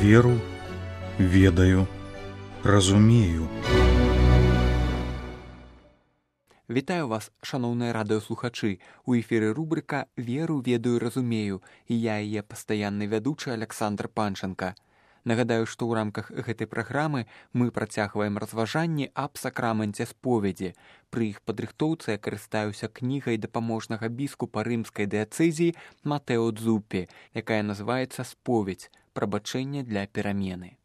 Веру, ведаю, разумею. Вітаю вас, шаноўныя радыёслухачы. У эфіры рубрыка «Веру, ведаю, разумею» і я яе пастаянны вядучы Александр Панченко. Нагадаю, што ў рамках гэтай праграмы мы працягваем разважанні аб сакраменце споведзі. Пры іх падрыхтоўцы я карыстаюся кнігай дапаможнага біскупа рымскай дыяцэзіі Матэо Дзуппі, якая называецца «Споведь. Прабачэнне для перамены».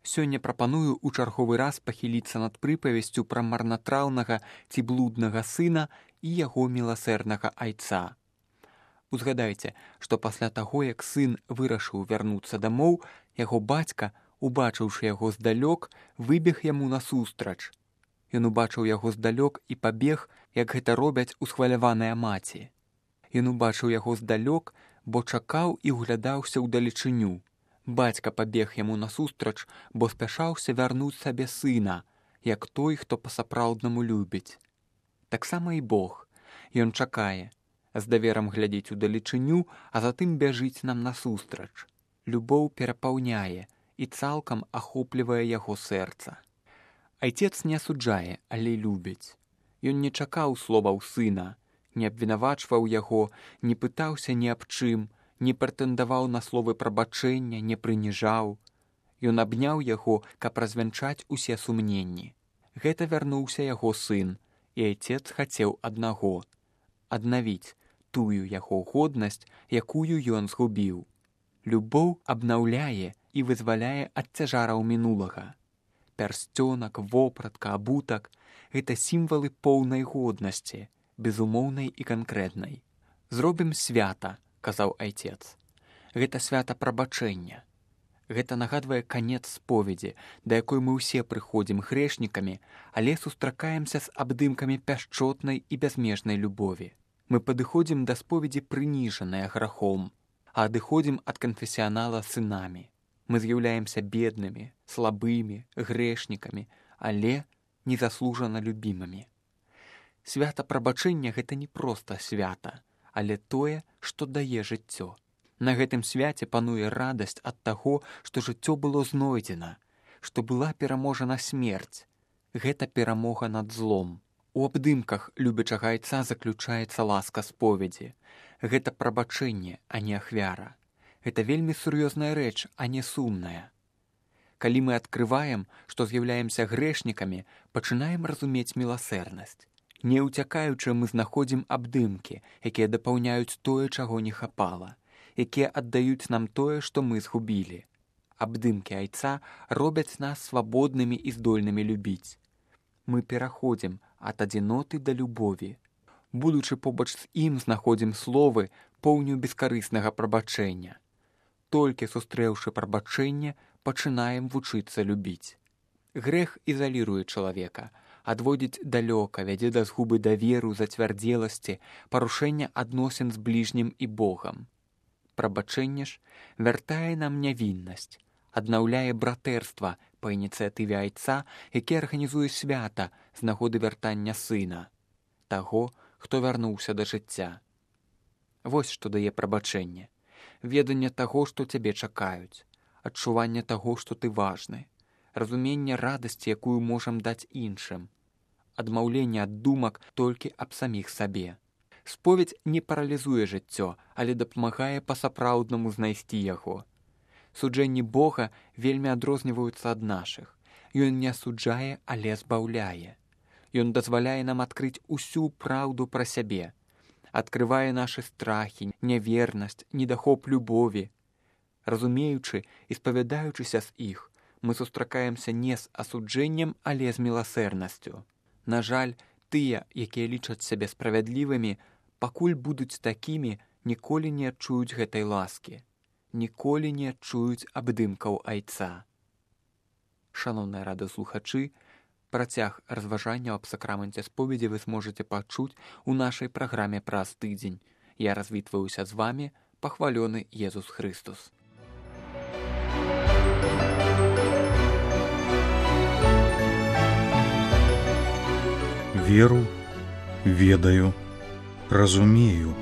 Сёння прапаную ў чарговы раз пахіліцца над прыпавесцю пра марнатраўнага ці блуднага сына і яго міласэрнага айца. Узгадайце, што пасля таго, як сын вырашыў вярнуцца дамоў, яго бацька, убачыўшы яго здалёк, выбег яму насустрач. Ён убачыў яго здалёк і пабег, як гэта робяць усхваляваныя маці. Ён убачыў яго здалёк, бо чакаў і ўглядаўся ўдалечыню. Бацька пабег яму насустрач, бо спяшаўся вярнуць сабе сына, як той, хто па-сапраўднаму любіць. Таксама і Бог. Ён чакае, з даверам глядзіць удалечыню, а затым бяжыць нам насустрач. Любоў перапаўняе і цалкам ахоплівае яго сэрца. Айцец не асуджае, але любіць. Ён не чакаў словаў сына, не абвінавачваў яго, не пытаўся ні аб чым, не прэтэндаваў на словы прабачэння, не прыніжаў. Ён абняў яго, каб развянчаць усе сумненні. Гэта вярнуўся яго сын, і айцец хацеў аднаго — аднавіць тую яго годнасць, якую ён згубіў. Любоў абнаўляе і вызваляе ад цяжараў мінулага. Пярсцёнак, вопратка, абутак — гэта сімвалы поўнай годнасці, безумоўнай і канкрэтнай. «Зробім свята», — казаў айцец. Гэта свята прабачэння. Гэта нагадвае канец споведзі, да якой мы ўсе прыходзім грэшнікамі, але сустракаемся з абдымкамі пяшчотнай і бязмежнай любові. Мы падыходзім да споведзі прыніжаныя грахом, а адыходзім ад канфесіянала сынамі. Мы з'яўляемся беднымі, слабымі, грэшнікамі, але незаслужана любімымі. Свята прабачэння — гэта не проста свята, але тое, што дае жыццё. На гэтым свяце пануе радасць ад таго, што жыццё было знойдзена, што была пераможана смерць. Гэта перамога над злом. У абдымках любячага айца заключаецца ласка споведзі. Гэта прабачэнне, а не ахвяра. Гэта вельмі сур'ёзная рэч, а не сумная. Калі мы адкрываем, што з'яўляемся грэшнікамі, пачынаем разумець міласэрнасць. Не ўцякаючы мы знаходзім абдымкі, якія дапаўняюць тое, чаго не хапала, якія аддаюць нам тое, што мы згубілі. Абдымкі айца робяць нас свабоднымі і здольнымі любіць. Мы пераходзім ад адзіноты да любові. Будучы побач з ім, знаходзім словы, поўню бескарыснага прабачэння. Толькі сустрэўшы прабачэнне, пачынаем вучыцца любіць. Грэх ізаліруе чалавека, адводзіць далёка, вядзе да згубы даверу, зацвярдзеласці, парушэння адносін з бліжнім і Богам. Прабачэнне ж вяртае нам нявіннасць, аднаўляе братэрства па ініцыятыве айца, які арганізуе свята з нагоды вяртання сына, таго, хто вярнуўся да жыцця. Вось што дае прабачэнне. Веданне таго, што цябе чакаюць, адчуванне таго, што ты важны, разуменне радасці, якую можам даць іншым, адмаўленне ад думак толькі аб саміх сабе. Споведь не паралізуе жыццё, але дапамагае па-сапраўднаму знайсці яго. Суджэнні Бога вельмі адрозніваюцца ад нашых. Ён не асуджае, але збаўляе. Ён дазваляе нам адкрыць усю праўду пра сябе, адкрывае нашы страхі, нявернасць, недахоп любові. Разумеючы і спавядаючыся з іх, мы сустракаемся не з асуджэннем, але з міласэрнасцю. На жаль, тыя, якія лічаць сябе справядлівымі, пакуль будуць такімі, ніколі не адчуюць гэтай ласкі, ніколі не адчуюць абдымкаў айца. Шаноўныя радыёслухачы, працяг разважанняў аб сакраменце споведзі вы зможаце пачуць у нашай праграме праз тыдзень. Я развітваюся з вамі, пахвалёны Езус Хрыстус. Веру, ведаю, разумею.